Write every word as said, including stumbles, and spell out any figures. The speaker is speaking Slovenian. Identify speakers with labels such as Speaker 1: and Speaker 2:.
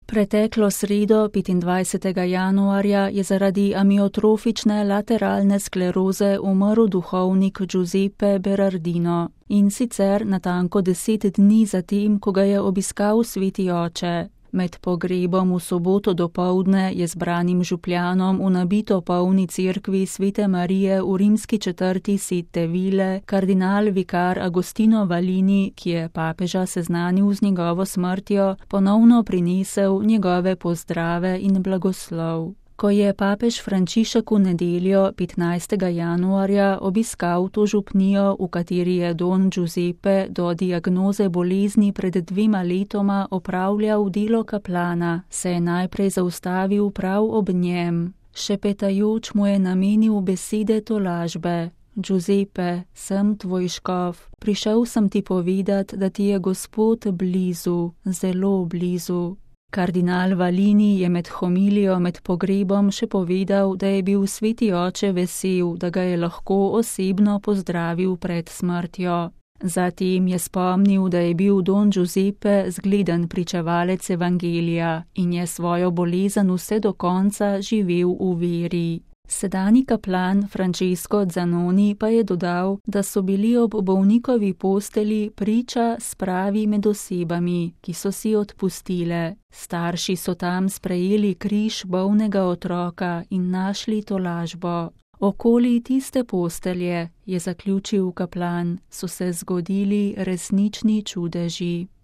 Speaker 1: Preteklo sredo, petindvajsetega januarja, je zaradi amiotrofične lateralne skleroze umrl duhovnik Giuseppe Berardino, in sicer natanko deset dni zatem, ko ga je obiskal sveti oče. Med pogrebom v soboto dopoldne je zbranim župljanom v nabito polni cerkvi svete Marije v rimski četrti Sette Ville kardinal vikar Agostino Valini, ki je papeža seznanil z njegovo smrtjo, ponovno prinesel njegove pozdrave in blagoslov. Ko je papež Frančišek v nedeljo, petnajstega januarja, obiskal to župnijo, v kateri je don Giuseppe do diagnoze bolezni pred dvema letoma opravljal delo kaplana, se je najprej zaustavil prav ob njem. Šepetajoč mu je namenil besede tolažbe. Giuseppe, sem tvoj škof, prišel sem ti povedat, da ti je Gospod blizu, zelo blizu. Kardinal Valini je med homilijo med pogrebom še povedal, da je bil sveti oče vesel, da ga je lahko osebno pozdravil pred smrtjo. Zatem je spomnil, da je bil don Giuseppe zgleden pričevalec evangelija in je svojo bolezen vse do konca živel v veri. Sedanji kaplan Francesco Zanoni pa je dodal, da so bili ob bolnikovi posteli priča spravi med osebami, ki so si odpustile. Starši so tam sprejeli križ bolnega otroka in našli tolažbo. Okoli tiste postelje, je zaključil kaplan, so se zgodili resnični čudeži.